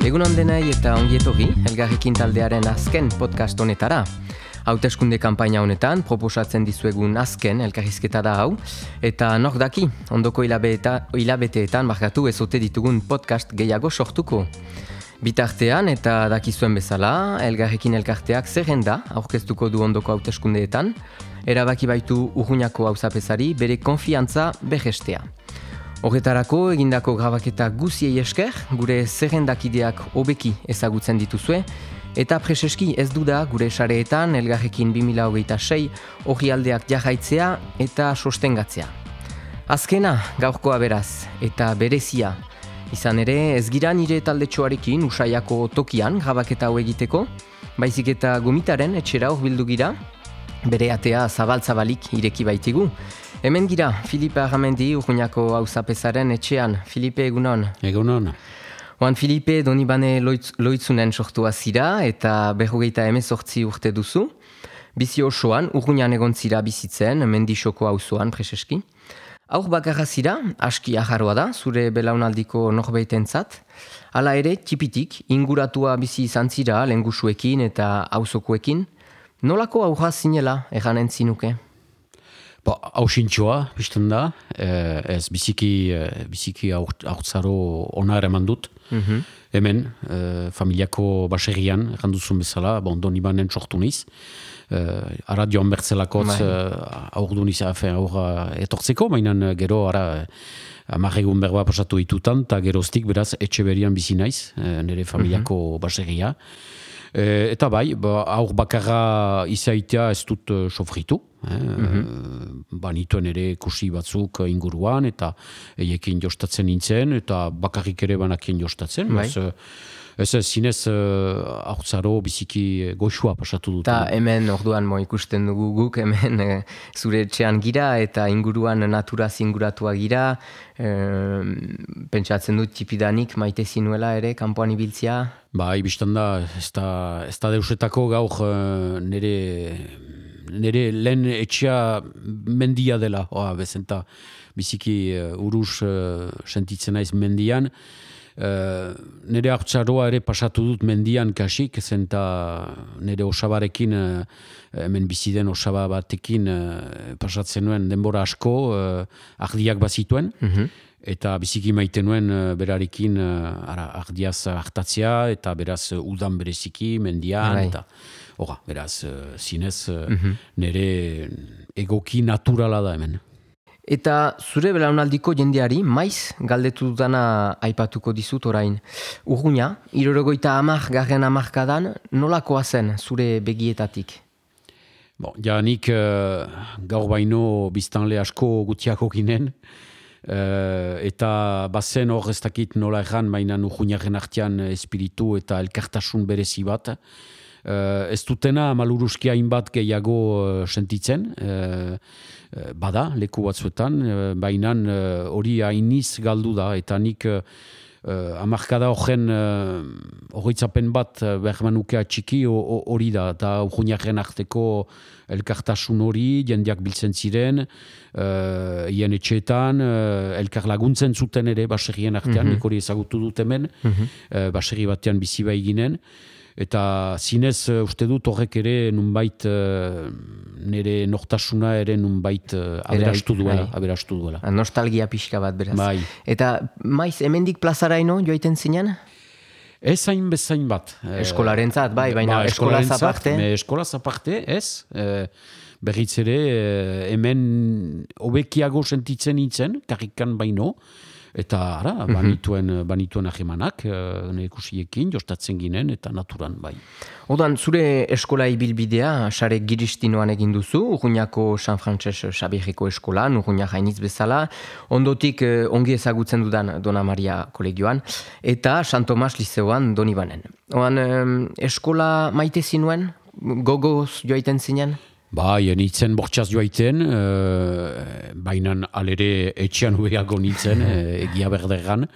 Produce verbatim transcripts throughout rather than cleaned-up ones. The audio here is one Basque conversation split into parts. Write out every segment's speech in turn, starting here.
Egunon denei eta ongi etorri, Elgarrekin taldearen azken podcast honetara. Hauteskunde kanpaina honetan proposatzen dizuegun azken elkarrizketa da hau, eta nor daki, ondoko hilabeta, hilabeteetan markatu ezote ditugun podcast gehiago sortuko. Bitartean eta dakizuen bezala, Elgarrekin elkarteak zerrenda aurkeztuko du ondoko hauteskundeetan, erabaki baitu Urruñako auzapezari bere konfiantza berrestea. Horretarako egindako grabaketa guziei esker, gure zerrendakideak hobeki ezagutzen dituzue, eta preseski ez duda gure sareetan Elgarrekin bi mila hogeita sei orrialdeak jarraitzea eta sostengatzea. Azkena gaurkoa beraz, eta berezia. Izan ere, ez gira nire taldetxoarekin Usaiako tokian grabaketa hau egiteko, baizik eta gomitaren etxera hurbildu gira, bere atea zabal-zabalik ireki baitigu. Hemen gira, Filipe Arramendi, Urruñako auzapezaren etxean. Filipe, egunon. Egunon. Oan Filipe, Donibane loitz, loitzunen sortua zira eta berrogeita hemezortzi urte duzu. Bizi osoan, Urruñan egon zira bizitzen, Mendixoko auzoan preseski. Aur bakarra zira, aski ajarroa da, zure belaunaldiko norbeitentzat. Hala ere, tipitik, inguratua bizi izan zira, lengusuekin eta auzokoekin. Nolako aurra zinela eganen zinuke? Ba, hausintxoa, bizten da, eh, ez biziki, eh, biziki haurtzaro onar eman dut. Mm-hmm. Hemen, eh, familiako baserrian, erranduzun bezala, bon, Donibanen sortu niz. Eh, ara joan bertzelakotz aur du niz, aurra etortzeko, mainan gero ara amarregun berba pasatu ditutan, eta geroztik beraz etxe berian bizi naiz, eh, nire familiako mm-hmm. baserria. E, eta bai, ba, aur bakarra izaitea ez dut uh, sofritu. Eh? Mm-hmm. Banituen ere kusi batzuk inguruan, eta eiekin jostatzen nintzen, eta bakarrik ere banakien jostatzen. Bai. Ez, ez ez zinez uh, aurtzaro biziki goxua pasatu dut. Eta hemen orduan mo ikusten dugu guk, hemen e, zure etxean gira, eta inguruan naturaz inguratua gira. E, pentsatzen dut tipidanik maite zinuela ere, kanpoan ibiltzia. Bai, biztan da, ez da, ez da deusetako gaur uh, nire, nire lehen etxea mendia dela, oa, bezenta biziki uh, uruz uh, sentitzen naiz mendian. Uh, nire hartzaroa ere pasatu dut mendian kasik, zenta nire osabarekin, uh, hemen biziden osaba batekin uh, pasatzen nuen denbora asko, uh, ardiak bazituen. Mm-hmm. Eta biziki maite nuen uh, berarekin uh, ara, ardiaz hartatzea, eta beraz uh, udan bereziki, mendian, Arai. eta ora, beraz, uh, zinez uh, mm-hmm. nire egoki naturala da hemen. Eta zure belaunaldiko jendeari maiz galdetu dudana aipatuko dizut orain. Urruña, hirurogeiita hamar garren hamarkadan nolakoa zen zure begietatik? Bon, ja nik uh, gaur baino biztanle asko gutiako ginen, Uh, eta bazen hor ez dakit nola erran, mainan Urruñaren artean espiritu eta elkartasun berezi bat. Uh, ez dutena maluruzki hainbat gehiago uh, sentitzen, uh, uh, bada, leku batzuetan, uh, bainan hori uh, hainiz galdu da, eta nik uh, uh, amarkada horren uh, horretzapen bat uh, bermanukea txiki hori da, eta Urruñaren arteko elkartasun hori, jendeak biltzen ziren, uh, hien etxeetan, uh, elkar laguntzen zuten ere baserrien artean, mm-hmm. nik hori ezagutu dut hemen, mm-hmm. uh, baserri batean bizi bai ginen, eta zinez uh, uste dut horrek ere nunbait uh, nire nortasuna ere nunbait uh, aberastu duela, aberastu duela. Nostalgia pixka bat beraz. Bai. Eta maiz, hemendik plazaraino joaiten zinen? Ez hain bezain bat. Eskolarentzat, bai, baina ba, eskolaz aparte? Eskolaz aparte, ez. E, berriz ere, hemen hobekiago sentitzen nintzen, karrikan baino, eta ara, banituen, banituen ahemanak, nekusiekin, jostatzen ginen, eta naturan, bai. Odan, zure eskola ibilbidea, sare giristinoan egin duzu, Urruñako San Frantses Xabierreko eskolan, Urruña jainitz bezala, ondotik eh, ongi ezagutzen dudan Dona Maria kolegioan, eta San Tomas lizeoan Donibanen. Oan, eh, eskola maite zinuen? Gogoz joaiten zinen? Bai, nintzen bortxaz joaiten, e, bainan alere etxean ubeago nintzen, e, egia berderran.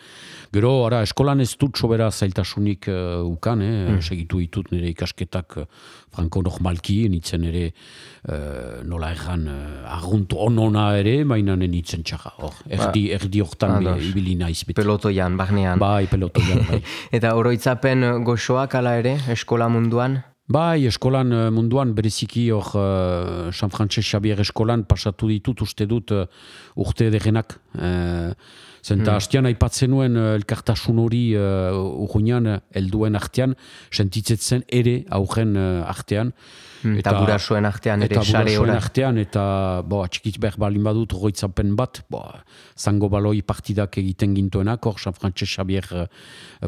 Gero, ara, eskolan ez dut sobera zailtasunik uh, ukan, eh? mm. segitu ditut nire ikasketak uh, franko normalki, nintzen ere uh, nola erran uh, arguntu onona ere, baina nintzen txarra. Or, erdi, ba, erdi hortan ibili naiz. Beti. Pelotoian, barnean. Bai, pelotoian. Bai. Eta oroitzapen goxoak ala ere, eskola munduan? Bai, eskolan munduan bereziki hor uh, San Frances Xavier eskolan pasatu ditut uste dut uh, urte degenak. Uh, Zenta hmm. hastian aipatzen nuen uh, elkartasun hori uh, urruinan helduen artean, sentitzetzen ere aurren uh, artean. Hmm. Eta, eta burasoen artean ere sare Eta burasoen artean, eta bo, atxikit behar balin badut roitzapen bat, bo, zango baloi partidak egiten gintuenak, hor San Frances Xavier uh,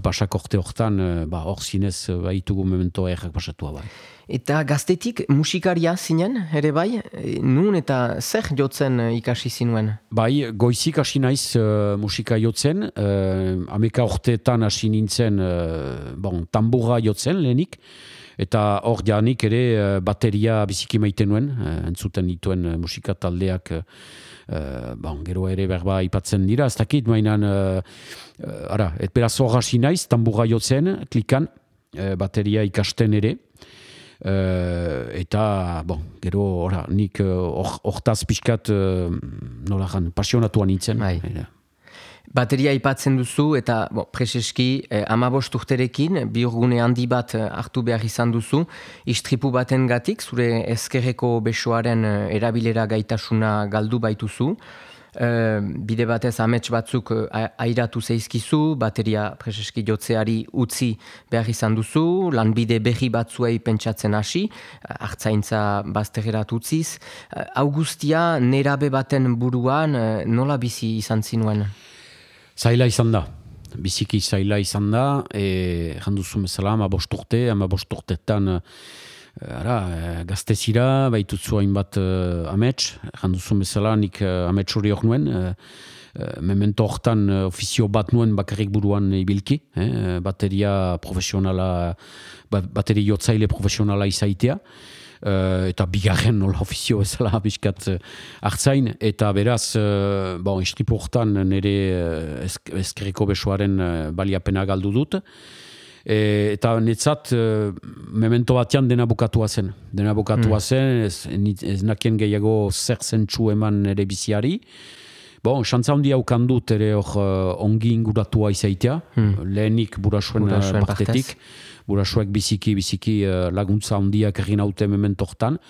pasakorte hortan, uh, ba, hor zinez uh, baitugu memento errak pasatua bai. Eta gaztetik musikaria zinen, ere bai? Nun eta zer jotzen ikasi zinuen? Bai, goizik hasi naiz uh, musika jotzen, uh, ameka orteetan hasi nintzen uh, bon, tambura jotzen lehenik, eta hor janik ere uh, bateria biziki maite nuen, uh, entzuten dituen uh, musika taldeak, uh, bon, gero ere berba ipatzen dira, ez dakit, mainan, uh, uh, ara, et beraz hor hasi naiz, tambura jotzen, klikan, uh, bateria ikasten ere, Uh, eta, bon, gero, ora, nik hortaz uh, pixkat, uh, nola jan, pasionatuan nintzen. Bai. Bateria aipatzen duzu, eta bon, preseski, eh, amabost urterekin, bihurgune handi bat hartu behar izan duzu, istripu baten gatik, zure ezkerreko besoaren erabilera gaitasuna galdu baituzu. Uh, bide batez amets batzuk uh, airatu zeizkizu, bateria preseski jotzeari utzi behar izan duzu, lanbide berri batzuei pentsatzen hasi, uh, hartzaintza bazterrerat utziz. Uh, Augustia nerabe baten buruan uh, nola bizi izan zinuen? Zaila izan da. Biziki zaila izan da, e, janduzu bezala, ama bosturte, ama bosturtetan Ara, gaztezira, baitutzu hainbat uh, amets, janduzun bezala, nik uh, amets hori hor nuen, uh, uh, memento hortan uh, ofizio bat nuen bakarrik buruan ibilki, eh, bateria profesionala, bat, bateri jotzaile profesionala izaitea, uh, eta bigarren nola ofizio bezala bizkat uh, hartzain, eta beraz, uh, bon, istripu hortan nire uh, ezkerreko besoaren uh, baliapena galdu dut, E, eta netzat e, memento batean dena bukatua zen. Dena bukatua mm. zen, ez, ez nakien gehiago zer zentsu eman ere biziari. Bon, xantza handia ukan dut ere hor uh, ongi inguratua izaitea, mm. lehenik burasuen partetik. Burasuek biziki, biziki uh, laguntza handiak egin haute memento hortan.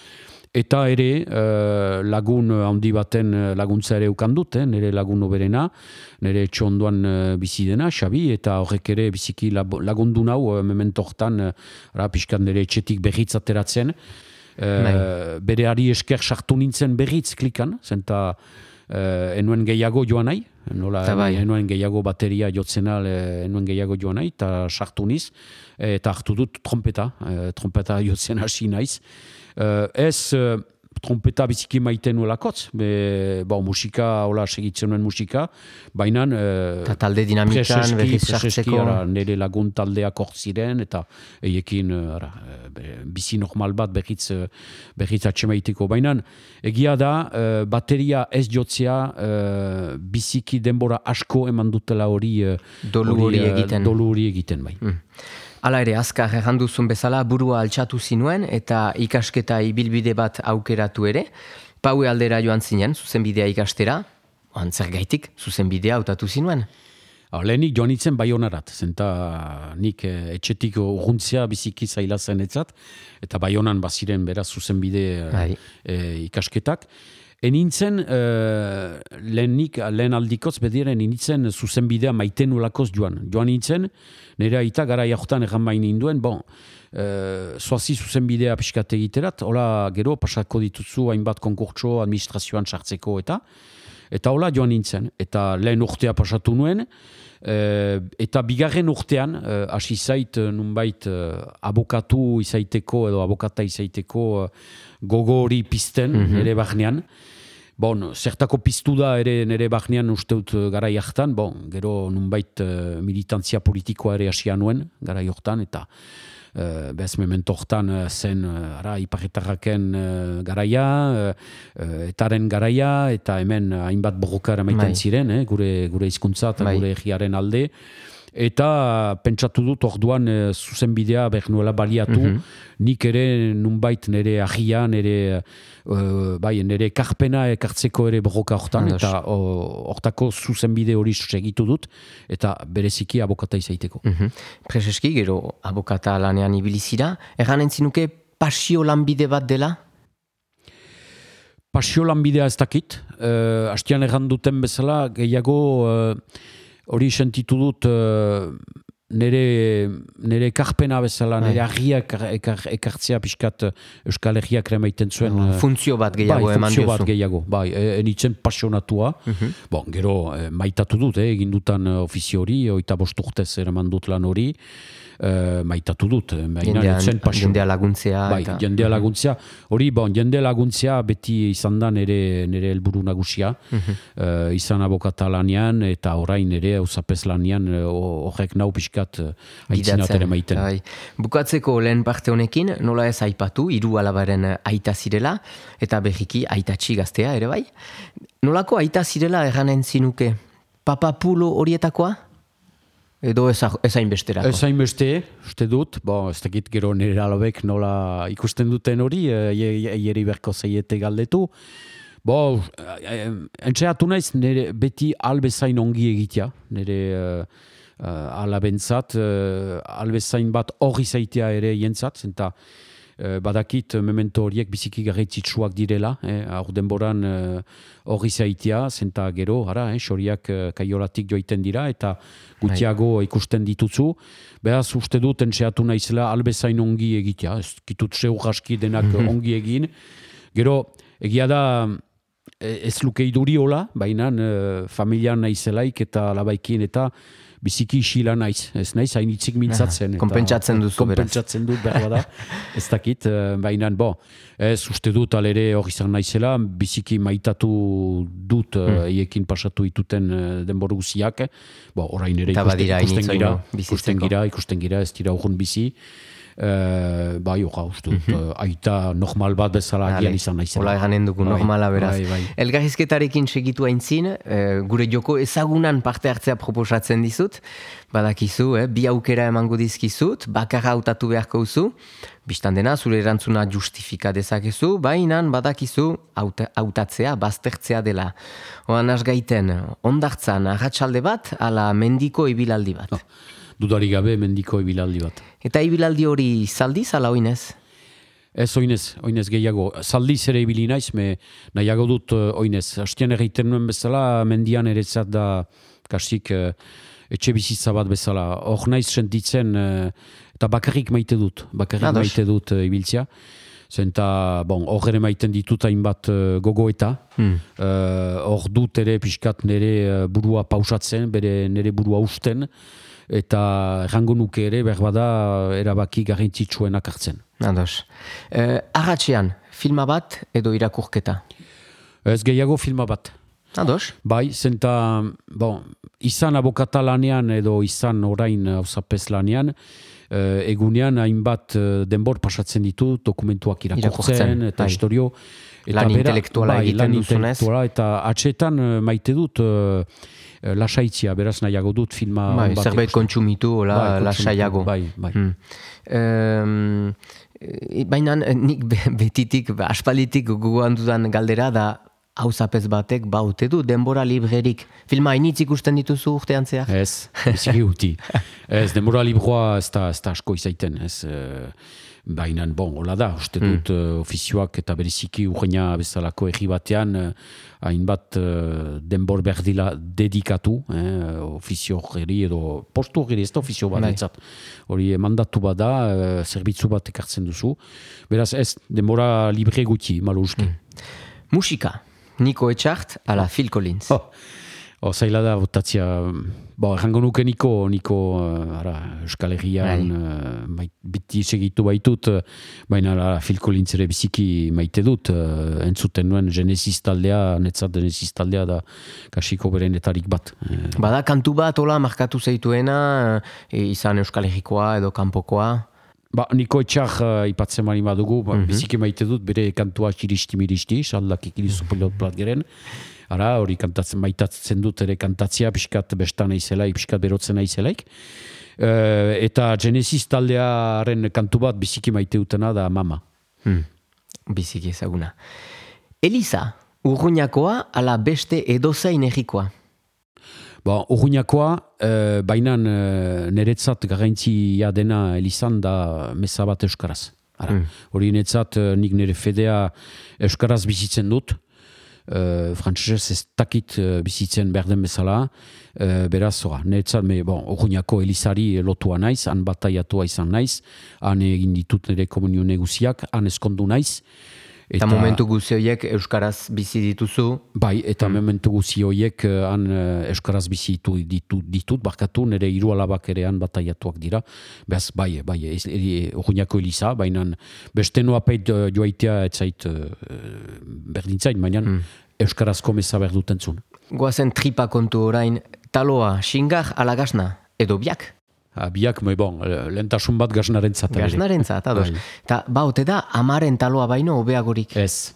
Eta ere uh, lagun handi baten laguntza ere ukan dut, eh? Nire lagun oberena, nire etxo ondoan uh, bizi dena, Xabi, eta horrek ere biziki lagundu nau uh, memento hortan, uh, pixkan nire etxetik berriz ateratzen. Uh, bere ari esker sartu nintzen berriz klikan, zenta uh, enuen gehiago joan nahi, nola, enuen gehiago bateria jotzen al, enuen gehiago joan nahi, eta sartu niz, eta hartu dut trompeta, uh, trompeta jotzen hasi naiz. Uh, ez uh, trompeta biziki maiten nuelakotz, be, ba, musika, hola, segitzen nuen musika, baina uh, talde dinamikan, berriz sartzeko. Nire lagun taldeak hor ziren, eta eiekin uh, ara, bizi normal bat berriz, uh, berriz atxemaiteko. Baina egia da, uh, bateria ez jotzea uh, biziki denbora asko eman dutela hori uh, dolu hori egiten. Dolu hori egiten, bai. Mm. Hala ere, azkar erranduzun bezala burua altxatu zinuen eta ikasketa ibilbide bat aukeratu ere. Paue aldera joan zinen, zuzenbidea ikastera, antzer gaitik, zuzenbidea hautatu zinuen. Lehenik joan nintzen Baionarat, zenta nik eh, etxetik urruntzea biziki zaila zen etzat, eta Baionan baziren beraz zuzenbide eh, ikasketak. Enintzen, uh, lehenik, lehen aldikoz, bediren, enintzen zuzenbidea maiten ulakoz joan. Joan nintzen, nire aita gara jahotan egan bain ninduen, bon, uh, zoazi zuzenbidea pixkat egiterat, hola gero pasako dituzu hainbat konkurtso administrazioan sartzeko eta, eta hola joan nintzen. Eta lehen urtea pasatu nuen, uh, eta bigarren urtean, uh, hasi zait, nunbait, uh, abokatu izaiteko edo abokata izaiteko uh, gogo hori pizten, mm-hmm. nire barnean. Bon, zertako piztu da ere nire barnean usteut garai hartan, bon, gero nunbait uh, militantzia politikoa ere hasia nuen garai hortan, eta Uh, Bez memento hortan uh, zen uh, ara, iparretarraken uh, garaia, uh, uh, etaren garaia, eta hemen uh, hainbat borroka eramaiten ziren, eh, gure, gure hizkuntza eta gure egiaren alde. Eta pentsatu dut orduan e, zuzenbidea behar nuela baliatu, mm-hmm. nik ere nunbait nire agia, nire, uh, bai, nire ekarpena ekartzeko ere borroka hortan, Andos. Eta hortako zuzenbide hori segitu dut, eta bereziki abokata izaiteko. Mm-hmm. Prezeski, gero abokata lanean ibilizira, erran entzinuke pasio lanbide bat dela? Pasio lanbidea ez dakit, uh, hastian erran duten bezala, gehiago... Uh, Hori sentitu dut uh, nire, nire ekarpena bezala, nire agiak ekar, ekartzea pixkat Euskal Herriak remaiten zuen. Uh, funtzio bat gehiago bai, eman diozu. Funtzio bat gehiago, bai, enitzen pasionatua. Uh-huh. Bon, gero, eh, maitatu dut, eh, egin dutan ofizio hori, oita bost urtez eraman dut lan hori. Uh, maitatu dut. Jendea laguntzea. Bai, eta... jendea laguntzea. Hori, bon, jendea laguntzea beti izan da nire, nire helburu nagusia. Uh-huh. Uh, izan abokata lanean eta orain ere auzapez lanean horrek nau pixkat aitzinat maiten. Bai. Bukatzeko lehen parte honekin, nola ez aipatu, hiru alabaren aita zirela, eta berriki aitatxi gaztea ere bai. Nolako aita zirela erranen zinuke? Papapulo horietakoa? Edo ez hainbesterako? Ez hainbeste, uste dut, bo, ez dakit gero nire alabek nola ikusten duten hori, eieri berko zeiete galdetu. Bo, entxeatu naiz, nire beti albezain ongi egitea, nire uh, uh, alabentzat, uh, albezain bat hori zaitea ere jentzat, zenta uh, badakit memento horiek biziki garrantzitsuak direla, eh, aur denboran hori uh, zaitea, zenta gero, ara, eh, xoriak uh, kaiolatik joiten dira, eta gutiago ikusten dituzu. Beraz, uste dut, entxeatu naizela albezain ongi egitea, ez kitut zeu jaski denak mm-hmm. ongi egin. Gero, egia da, ez luke iduri hola, baina uh, familian naizelaik eta labaikin eta biziki isila naiz. Ez naiz, hainitzik mintzatzen. Kompentsatzen duzu, beraz. Kompentsatzen dut, behar da. Ez dakit, uh, baina, bo, ez uste dut alere hori izan naizela, biziki maitatu dut uh, eiekin pasatu ituten uh, denboru guziak. Bo, orain ere ikusten, ikusten gira, ikusten gira, ikusten gira, ez dira urgun bizi. Uh, bai, oga, uste dut, mm-hmm. uh, aita normal bat bezala agian izan naizela. Ola eganen dugu, bai, normala beraz. Bai, bai. Elgarrizketarekin segitu aintzin, uh, gure joko ezagunan parte hartzea proposatzen dizut, badakizu, eh, bi aukera emango dizkizut, bakarra hautatu beharko duzu, bistan dena, zure erantzuna justifika dezakezu, baina badakizu hautatzea, baztertzea dela. Oan asgaiten, ondartzan, arratsalde bat, ala mendiko ibilaldi bat. Oh. Dudari gabe mendiko ibilaldi bat. Eta ibilaldi hori zaldiz ala oinez? Ez oinez, oinez gehiago. Zaldiz ere ibili naiz, me nahiago dut uh, oinez. Hastian egiten nuen bezala, mendian ere zat da kasik uh, etxe bizitza bat bezala. Hor naiz sentitzen, uh, eta bakarrik maite dut. Bakarrik Ados. maite dut uh, ibiltzea. Zenta, bon, hor ere maiten ditut hainbat uh, gogoeta. Hmm. Uh, hor dut ere pixkat nire uh, burua pausatzen, bere nire burua usten. Eta errango nuke ere berbada erabaki garrantzitsuenak hartzen. Ados. Eh, Arratxean, filma bat edo irakurketa? Ez gehiago filma bat. Ados. Bai, zenta, bon, izan abokata lanean edo izan orain auzapez lanean, eh, egunean hainbat denbor pasatzen ditu, dokumentuak irakurtzen, irakurtzen eta bai. Historio. Eta lan intelektuala bai, egiten duzunez. Eta atxetan maite dut... lasaitzia, beraz nahiago dut filma... Bai, zerbait kontsumitu, la, bai, lasaiago. Bai, bai. Hmm. Um, baina nik betitik, aspalitik guguan dudan galdera da hauzapez batek baute du, denbora librerik. Filma hainitz ikusten dituzu urtean zehar? Ez, biziki guti. Ez, denbora libroa ez da, ez da asko izaiten, ez... Baina, bon, hola da, uste dut mm. uh, ofizioak eta beriziki urreina bezalako egi batean hainbat uh, uh, denbor berdila dedikatu, eh, ofizio horri edo postu horri ez da ofizio bat etzat. Hori mandatu bada, uh, zerbitzu bat ekartzen duzu. Beraz ez, denbora libre guti, malo uste. Mm. Musika, Niko Etxart ala Phil Collins. Oh. O, zaila da, botatzia, bo, errango nuke Niko, Niko, uh, ara, Euskal Herrian, uh, biti segitu baitut, uh, baina la, Phil Collins ere biziki maite dut, uh, entzuten nuen Genesis taldea, netzat Genesis taldea da kasiko berenetarik bat. Bada, kantu bat, hola, markatu zaituena, e, izan Euskal Herrikoa edo kanpokoa? Ba, Niko Etxar uh, ipatzen mani badugu, ba, Mhm. biziki maite dut, bere kantua xiristi-miristi, saldak ikilizu pilot plat geren. Ara, hori kantatzen maitatzen dut ere kantatzea, pixkat bestan aizelaik, pixkat berotzen aizelaik. Uh, eta Genesis taldearen kantu bat biziki maite dutena da Mama. Hmm. Biziki ezaguna. Eliza, Urruñakoa ala beste edozein egikoa? Ba, Urruñakoa, uh, bainan uh, niretzat garrantzia dena Elizan da meza bat euskaraz. Ara, Mm. hori niretzat uh, nik nire fedea euskaraz bizitzen dut. Uh, Frantzesez ez dakit uh, bizitzen behar den bezala. Uh, beraz, ora, niretzat, me, bon, Urruñako Elizari lotua naiz, han bataiatua izan naiz, han egin ditut nire komunio neguziak, han eskondu naiz. Eta momentu guzi horiek euskaraz bizi dituzu? Bai, eta mm. momentu guzi horiek uh, han uh, euskaraz bizi ditu, ditut, ditut, barkatu, nire hiru alabak ere han bataiatuak dira. Beaz, bai, bai, Urruñako Eliza, baina beste noa peit uh, joaitea etzait uh, berdintzait, baina mm. euskarazko meza behar dutentzun. Goazen tripa kontu orain, taloa, xingar ala gasna, edo biak? Ha, biak, me bon, lehentasun bat gaznaren zat. Gaznaren zat, ados. Eta ba, ote da, amaren taloa baino hobeagorik. Ez,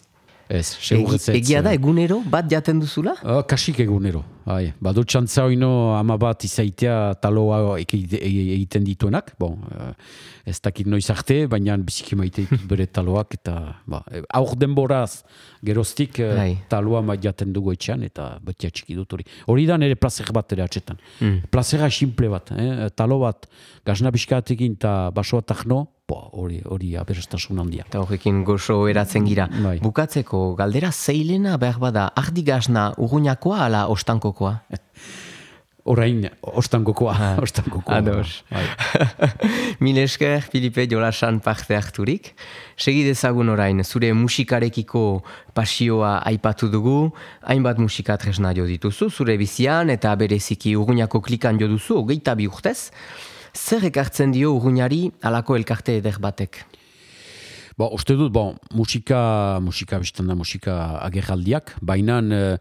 ez, segurretz ez. Egia da, egunero bat jaten duzula? Uh, kasik egunero, bai. Badu txantza oino ama bat izaitea taloa egiten dituenak, bon, uh, ez dakit noiz arte, baina biziki maite ditut bere taloak, eta ba, aur denboraz geroztik uh, taloa maite jaten dugu etxean, eta betia txiki dut hori. Hori da nire plazer bat ere atxetan. Mm. Plazera simple bat, eh? Talo bat, gazna biskatekin eta basoa tajno, hori hori aberastasun handia. Eta horrekin gozo eratzen gira. Bai. Bukatzeko, galdera zeilena behar bada, ardi gazna Urruñakoa ala ostankokoa? Orain, ostankokoa. Ah, ostankokoa. Ados. Mil esker, Filipe Jolasan parte harturik. Segi dezagun orain, zure musikarekiko pasioa aipatu dugu, hainbat musika tresna jo dituzu, zure bizian eta bereziki Urruñako klikan jo duzu, hogeita bi urtez. Zer ekartzen dio Urruñari alako elkarte eder batek? Bo, uste dut, bon, musika, musika biztanda musika agerraldiak, baina uh,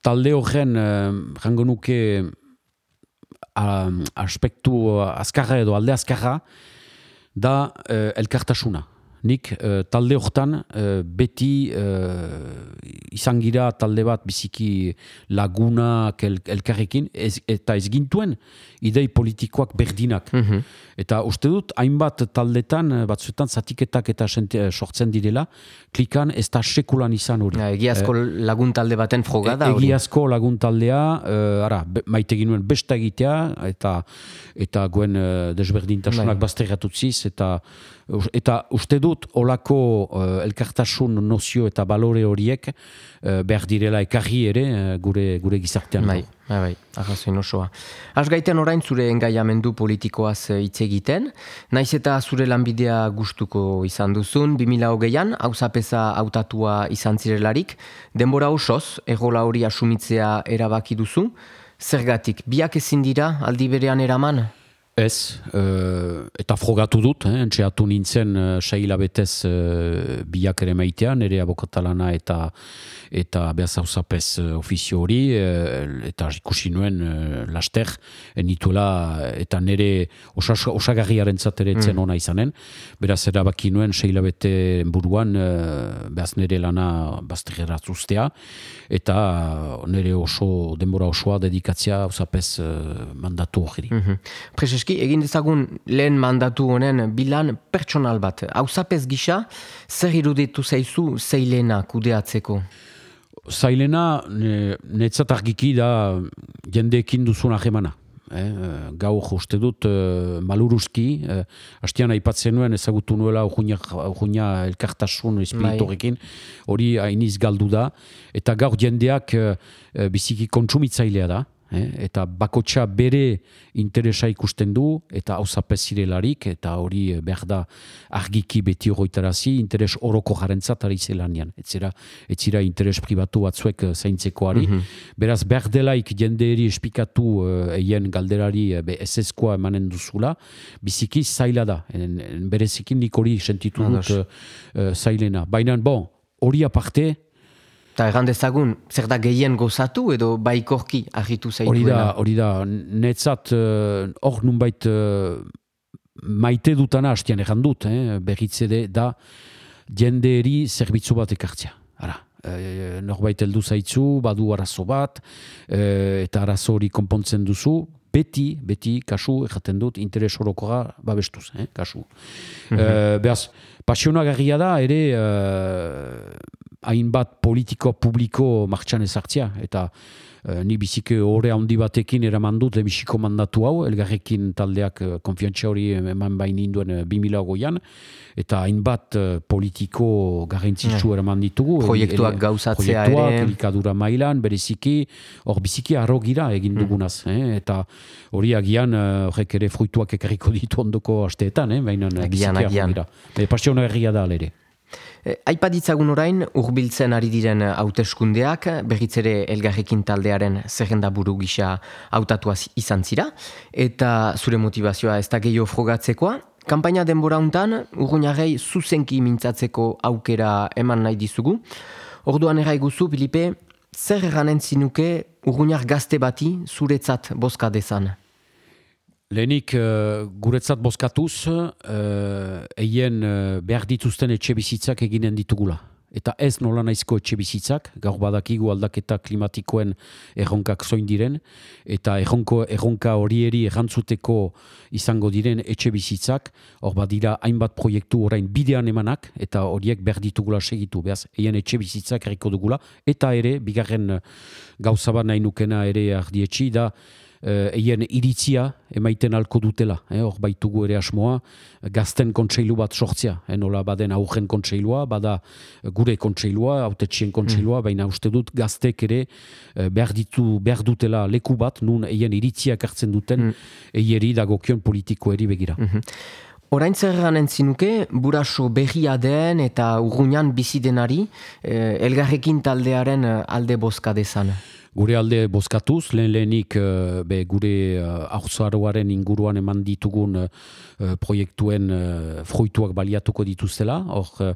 talde horren, uh, rango nuke uh, aspektu azkarra edo alde azkarra, da uh, elkartasuna. Nik uh, talde hortan uh, beti uh, izan gira talde bat biziki lagunak el, elkarrekin ez, eta ez gintuen idei politikoak berdinak. Mm-hmm. Eta uste dut, hainbat taldetan, batzuetan zatiketak eta senti, sortzen direla, klikan ez da sekulan izan hori. Ja, egiazko eh, lagun talde baten froga da hori. Egiazko lagun taldea, uh, ara, be, maite ginuen besta egitea, eta, eta guen uh, desberdintasunak bazterratutziz, eta eta uste dut olako uh, elkartasun nozio eta balore horiek uh, behar direla ekarri ere uh, gure, gure gizartean. Bai, bai, bai, arrazoin osoa. Az gaiten orain zure engaiamendu politikoaz hitz egiten, naiz eta zure lanbidea gustuko izan duzun, bi mila hogeian, auzapeza hautatua izan zirelarik, denbora osoz, errola hori asumitzea erabaki duzu, zergatik, biak ezin dira aldi berean eraman? Ez, uh, eta frogatu dut, eh, entxeatu nintzen uh, saila betez uh, biak ere maitea, nire abokatalana eta eta behaz hauzapez uh, ofizio hori, uh, eta ikusi nuen uh, laster, enituela eta nire osas, osagarriaren zateretzen mm. ona izanen, beraz erabaki nuen saila bete buruan uh, behaz nire lana bazterratzuztea, eta uh, nire oso denbora osoa dedikatzea hauzapez uh, mandatu hori. Mm-hmm. Egin dezagun lehen mandatu honen bilan pertsonal bat. Auzapez gisa, zer iruditu zaizu zeilena kudeatzeko? Zailena, netzat argiki da jendeekin duzun ahemana. Eh, gaur uste dut uh, maluruzki, uh, hastian aipatzen nuen ezagutu nuela urguina elkartasun espiritorekin, hori hainiz galdu da, eta gaur jendeak uh, biziki kontsumitzailea da. Eh, eta bakotxa bere interesa ikusten du, eta hauzapez zirelarik, eta hori behar da argiki beti horretarazi, interes oroko jarentzat ari zelanian. Etzera, etzira interes pribatu batzuek zaintzekoari. Mm-hmm. Beraz, behar delaik jendeeri espikatu uh, eien galderari uh, eseskoa emanen duzula, biziki zaila da. En, en berezikin nik hori sentitu dut uh, uh, zailena. Baina, bon, hori aparte, eta erran dezagun, zer da gehien gozatu edo baikorki argitu zaituena? Hori da, hori da, netzat hor uh, nunbait uh, maite dutana hastian egan dut, eh, berritzede da jendeeri zerbitzu bat ekartzea. Ara, e, norbait heldu zaitzu, badu arazo bat, e, eta arazo hori konpontzen duzu, beti, beti, kasu, erraten dut, interes orokoa babestuz, eh, kasu. Mm-hmm. E, behaz, pasionagarria da, ere, hainbat politiko publiko martxan ezartzea, eta Uh, ni bizike horre handi batekin eraman dut lebiziko mandatu hau, elgarrekin taldeak uh, konfiantza hori eman bain induen uh, bi mila hogeian, eta hainbat uh, politiko garrantzitsu eraman ditugu. Proiektuak gauzatzea ere. Proiektuak, elikadura mailan, bereziki, hor biziki arrogira egin dugunaz. Mm. Eh? Eta hori agian horrek uh, ere fruituak ekarriko ditu ondoko asteetan, eh? Baina biziki arrogira. E, Pasiona herria da alere. Aipaditzagun orain, urbiltzen ari diren hauteskundeak, berriz ere elgarrekin taldearen zerrenda buru gisa hautatuaz izan zira, eta zure motivazioa ez da gehiago frogatzekoa. Kanpaina denbora hontan, Urruñarrei zuzenki mintzatzeko aukera eman nahi dizugu. Orduan erraiguzu, Filipe, zer eranen zinuke Urruñar gazte bati zuretzat bozka dezan? Lehenik, uh, guretzat bozkatuz, uh, eien uh, behar dituzten etxe bizitzak eginen ditugula. Eta ez nola naizko etxe bizitzak, gaur badakigu aldaketa klimatikoen erronkak zoin diren, eta erronko, erronka horieri errantzuteko izango diren etxe bizitzak, hor badira hainbat proiektu orain bidean emanak, eta horiek behar ditugula segitu, behaz, eien etxe bizitzak erriko dugula, eta ere, bigarren gauza bat nahi nukena ere ardietxi, da, eien iritzia emaiten alko dutela. Hor eh, baitugu ere asmoa, gazten kontseilu bat sortzea. Eh, nola baden aurren kontseilua, bada gure kontseilua, autetxien kontseilua, mm. baina uste dut gaztek ere behar, ditu, behar dutela leku bat, nun eien iritziak hartzen duten, mm. eieri dagokion politikoeri begira. Mm-hmm. Orain zer ganen zinuke, buraso berria den eta Urruñan bizi denari, eh, elgarrekin taldearen alde bozka dezan. Gure alde bozkatuz, lehen lehenik be, gure uh, aurzaroaren inguruan eman ditugun uh, proiektuen uh, fruituak baliatuko dituztela. Hor, uh,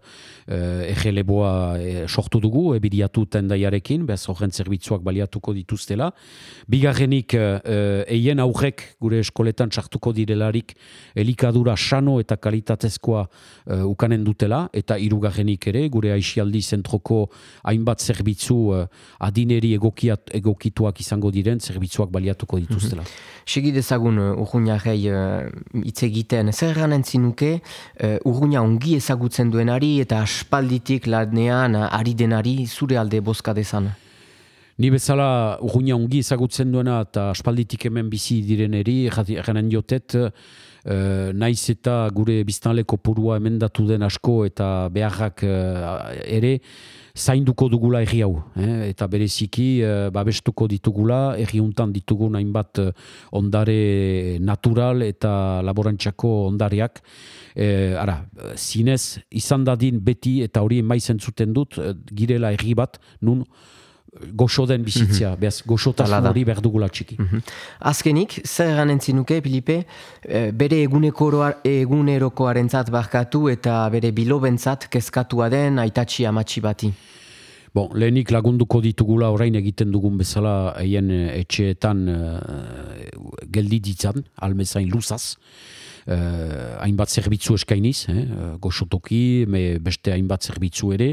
egeleboa uh, sortu dugu, ebiriatu tendaiarekin, bez horren zerbitzuak baliatuko dituztela. Bigarrenik, uh, eien aurrek gure eskoletan sartuko direlarik elikadura sano eta kalitatezkoa uh, ukanen dutela, eta hirugarrenik ere, gure aixialdi zentroko hainbat zerbitzu uh, adineri egokiat egokituak izango diren zerbitzuak baliatuko dituztela. Mm-hmm. Segi dezagun uh, Urruñarrei hitz uh, egiten, zer ganen zinuke uh, Urruña ongi ezagutzen duenari eta aspalditik lanean uh, ari denari zure alde bozka dezan? Ni bezala Urruña ongi ezagutzen duena eta aspalditik hemen bizi direneri, eranen jotet, uh, naiz eta gure biztanle kopurua emendatu den asko eta beharrak uh, ere, zainduko dugula erri hau, eh? Eta bereziki eh, babestuko ditugula, erri untan ditugun hainbat eh, ondare natural eta laborantxako ondareak. Eh, ara, zinez, izan dadin beti eta hori maizen zuten dut, eh, girela erri bat, nun goxo den bizitzea, mm-hmm. behaz, goxotasun hori behar dugula txiki. Mm-hmm. Azkenik, zer ganen zinuke, Filipe, bere egunerokoarentzat barkatu eta bere bilobentzat kezkatua den aitatxi amatxi bati? Bon, lehenik lagunduko ditugula orain egiten dugun bezala eien etxeetan uh, geldi ditzan, almezain luzaz. Uh, hainbat zerbitzu eskainiz, eh? Goxotoki, me beste hainbat zerbitzu ere.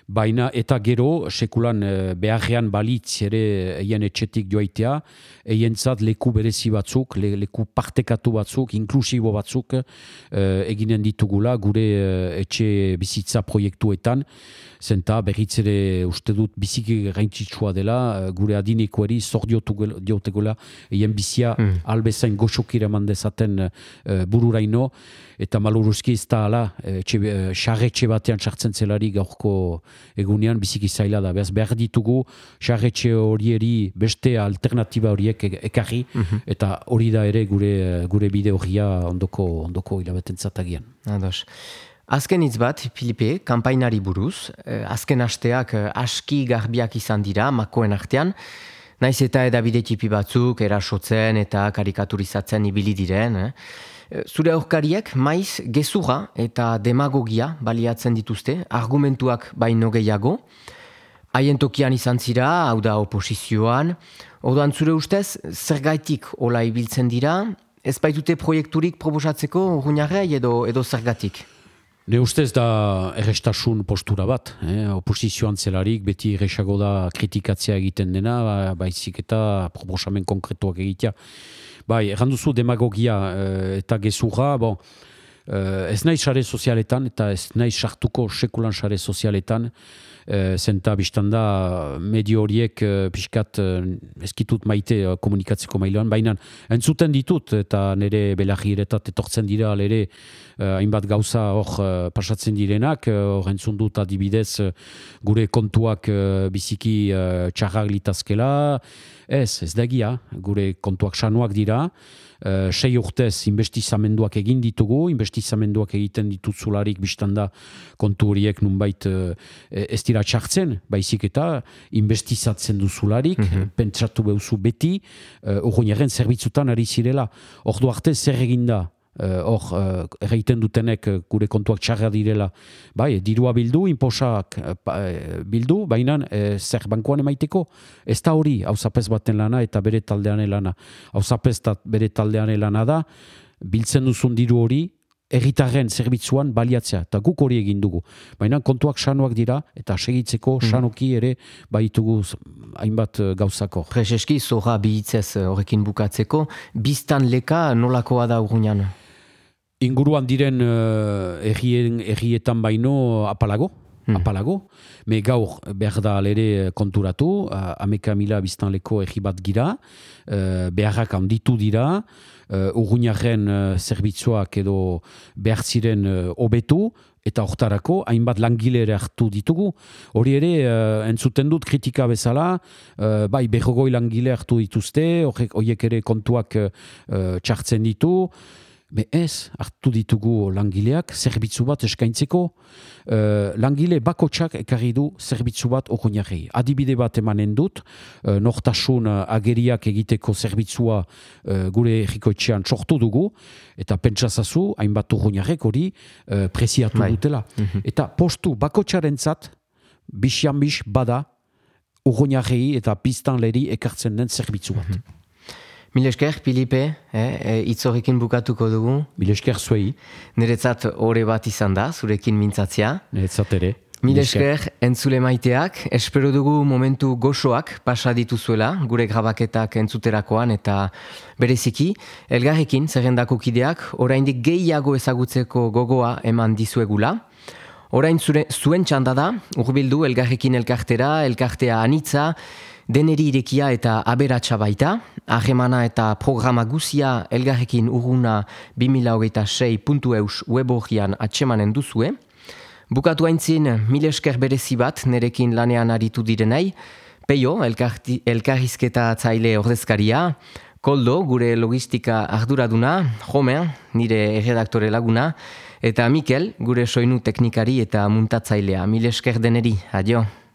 Baina eta gero, sekulan beharrean balitz ere eien etxetik joaitea, eientzat leku berezi batzuk, le, leku partekatu batzuk, inklusibo batzuk eh, eginen ditugula gure eh, etxe bizitza proiektuetan, zenta berriz ere uste dut biziki gaintzitsua dela, gure adinekoeri zor diotegula eien bizia mm. albezain goxokira mandezaten eh, bururaino, eta maluruzki ez da ala, xarretxe batean sartzen zelari gaurko egunean biziki zaila da. Behaz behar ditugu xarretxe horieri beste alternatiba horiek ekarri, mm-hmm. eta hori da ere gure, gure bide horria ondoko, ondoko hilabeten zatagian. Ados. Azken hitz bat, Filipe, kanpainari buruz, azken asteak aski garbiak izan dira, makoen artean, naiz eta edabide tipi batzuk erasotzen eta karikaturizatzen ibili diren, eh? Zure aurkariek maiz gezurra eta demagogia baliatzen dituzte, argumentuak baino gehiago. Haien tokian izan zira, hau da oposizioan. Orduan zure ustez, zergaitik hola ibiltzen dira, ez baitute proiekturik proposatzeko urruñarrei edo, edo zergatik? Ne ustez da errestasun postura bat, eh? Oposizioan zelarik beti erresago da kritikatzea egiten dena, ba, baizik eta proposamen konkretuak egitea. Bai, erranduzu demagogia eh, eta gezurra, bon, eh, ez nahi sare sozialetan eta ez nahi sartuko sekulan sare sozialetan, eh, zenta biztanda medio horiek eh, pixkat eh, ezkitut maite eh, komunikatzeko mailoan, baina entzuten ditut eta nire belagiretat etortzen dira ere Uh, hainbat gauza hor uh, pasatzen direnak, hor uh, entzun dut adibidez uh, gure kontuak uh, biziki uh, txarrak litazkela, ez, ez dagia, gure kontuak sanuak dira, uh, sei urtez investizamenduak egin ditugu, investizamenduak egiten dituzularik biztanda kontu horiek nunbait uh, ez dira txartzen, baizik eta investizatzen duzularik, mm-hmm. pentsatu behuzu beti, uh, urruñaren zerbitzutan ari zirela, ordu arte zer eginda, hor, uh, uh, erraiten dutenek uh, gure kontuak txarra direla. Bai, dirua bildu, inposak uh, bildu, baina uh, zer bankuan emaiteko. Ez da hori, hauzapez baten lana eta bere taldean lana. Hauzapez bere taldean lana da, biltzen duzun diru hori, herritarren zerbitzuan baliatzea, eta guk hori egin dugu. Baina kontuak sanoak dira, eta segitzeko sanoki ere baitugu hainbat gauzako. Prezeski, zorra bihitzez horrekin bukatzeko, biztan leka nolakoa da urruñan? Inguruan diren uh, errien, errietan baino apalago, hmm. apalago. Me gaur behar da alere konturatu, uh, ameka mila biztanleko erri bat gira, uh, beharrak handitu dira, uh, urruñaren uh, zerbitzuak edo behar ziren hobetu, uh, eta hortarako hainbat langile ere hartu ditugu. Hori ere, uh, entzuten dut kritika bezala, uh, bai berrogoi langile hartu dituzte, horiek ere kontuak uh, txartzen ditu, be ez, hartu ditugu langileak, zerbitzu bat eskaintzeko, uh, langile bakotsak ekarri du zerbitzu bat urruñarrei. Adibide bat emanen dut, uh, nortasun uh, ageriak egiteko zerbitzua uh, gure errikoetxean sortu dugu, eta pentsazazu, hainbat urruñarrek hori uh, preziatu Bai. dutela. Mm-hmm. Eta postu bakotsarentzat, bisian-bis bada, urruñarrei eta biztanleri ekartzen den zerbitzu bat. Mm-hmm. Mil esker, Filipe, eh, itzorrekin bukatuko dugu. Mil esker zuei. Niretzat ore bat izan da, zurekin mintzatzea. Niretzat ere. Mil esker, entzule maiteak, espero dugu momentu goxoak pasa dituzuela, gure grabaketak entzuterakoan, eta bereziki, elgarrekin zerrendako kideak, oraindik gehiago ezagutzeko gogoa eman dizuegula. Orain zure, zuen txanda da, urbildu elgarrekin elkartera, elkartea anitza, deneri irekia eta aberatsa baita, ahemana eta programa guzia elgarrekin urruna bi mila hogeita sei puntu eus web-orrian atsemanen duzue. Bukatu haintzin, mil esker berezi bat nerekin lanean aritu direnei, Peio, elkarti, elkarrizketa zaile ordezkaria, Koldo, gure logistika arduraduna, Jomen, nire erredaktore laguna, eta Mikel, gure soinu teknikari eta muntatzailea. Mil esker deneri, adio.